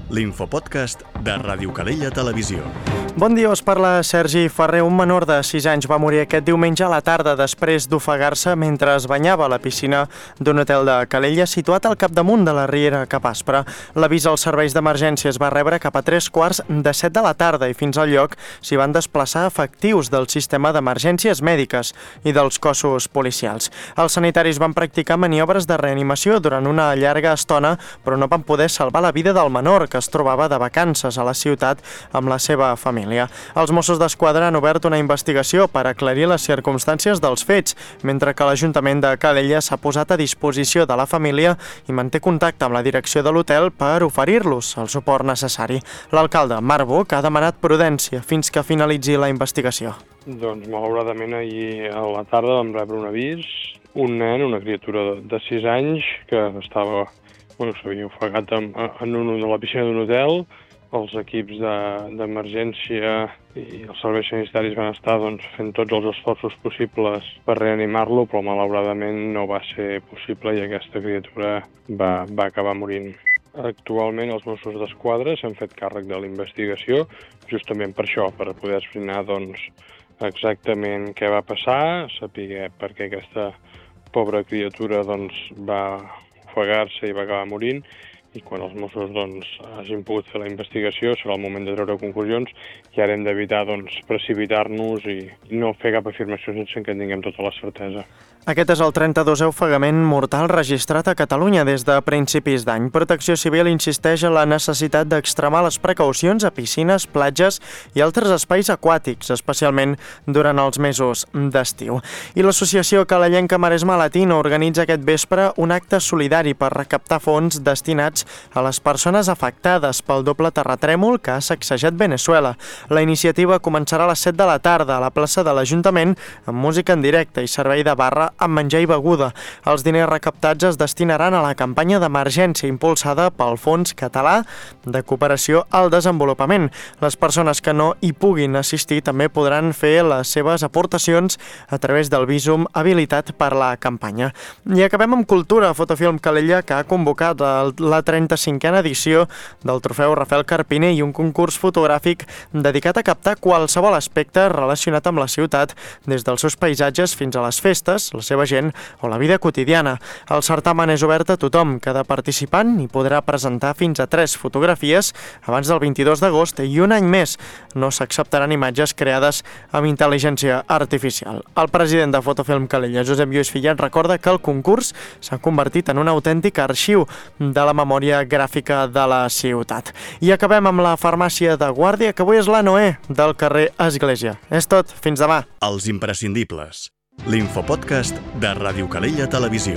l'infopodcast de Ràdio Calella Televisió. Bon dia, us parla Sergi Ferrer. Un menor de 6 anys va morir aquest diumenge a la tarda després d'ofegar-se mentre es banyava a la piscina d'un hotel de Calella situat al capdamunt de la riera Cap Aspre. L'avís als serveis d'emergència es va rebre cap a 3:15 de la tarda i fins al lloc s'hi van desplaçar efectius del sistema d'emergències mèdiques i dels cossos policials. Els sanitaris van practicar maniobres de reanimació durant una llarga estona, però no van poder salvar la vida del menor, que es trobava de vacances a la ciutat amb la seva família. Els Mossos d'Esquadra han obert una investigació per aclarir les circumstàncies dels fets, mentre que l'Ajuntament de Calella s'ha posat a disposició de la família i manté contacte amb la direcció de l'hotel per oferir-los el suport necessari. L'alcalde, Marc Buch, ha demanat prudència fins que finalitzi la investigació. Doncs, malauradament, ahir a la tarda vam rebre un avís. Un nen, una criatura de 6 anys, que s'havia ofegat en la piscina d'un hotel. Els equips d'emergència i els serveis sanitaris van estar fent tots els esforços possibles per reanimar-lo, però malauradament no va ser possible i aquesta criatura va acabar morint. Actualment els Mossos d'Esquadra s'han fet càrrec de la investigació, justament per això, per poder esbrinar exactament què va passar, saber per què aquesta pobra criatura va ofegar-se i va acabar morint, i quan els Mossos hagin pogut fer la investigació serà el moment de treure conclusions i ara hem d'evitar precipitar-nos i no fer cap afirmació sense que en tinguem tota la certesa. Aquest és el 32è ofegament mortal registrat a Catalunya des de principis d'any. Protecció Civil insisteix en la necessitat d'extremar les precaucions a piscines, platges i altres espais aquàtics, especialment durant els mesos d'estiu. I l'associació calellenca Maresme Latino organitza aquest vespre un acte solidari per recaptar fons destinats a les persones afectades pel doble terratrèmol que ha sacsejat Veneçuela. La iniciativa començarà a les 7 de la tarda a la plaça de l'Ajuntament amb música en directe i servei de barra amb menjar i beguda. Els diners recaptats es destinaran a la campanya d'emergència impulsada pel Fons Català de Cooperació al Desenvolupament. Les persones que no hi puguin assistir també podran fer les seves aportacions a través del vísum habilitat per la campanya. I acabem amb cultura. Fotofilm Calella, que ha convocat la 35a edició del trofeu Rafael Carpiner i un concurs fotogràfic dedicat a captar qualsevol aspecte relacionat amb la ciutat, des dels seus paisatges fins a les festes, la seva gent o la vida quotidiana. El certamen és obert a tothom. Cada participant hi podrà presentar fins a 3 fotografies abans del 22 d'agost i un any més. No s'acceptaran imatges creades amb intel·ligència artificial. El president de Fotofilm Calella, Josep Lluís Fillat, recorda que el concurs s'ha convertit en un autèntic arxiu de la memòria gràfica de la ciutat. I acabem amb la farmàcia de Guàrdia, que avui és la Noé del carrer Església. És tot. Fins demà. Els imprescindibles. L'infopodcast de Ràdio Calella Televisió.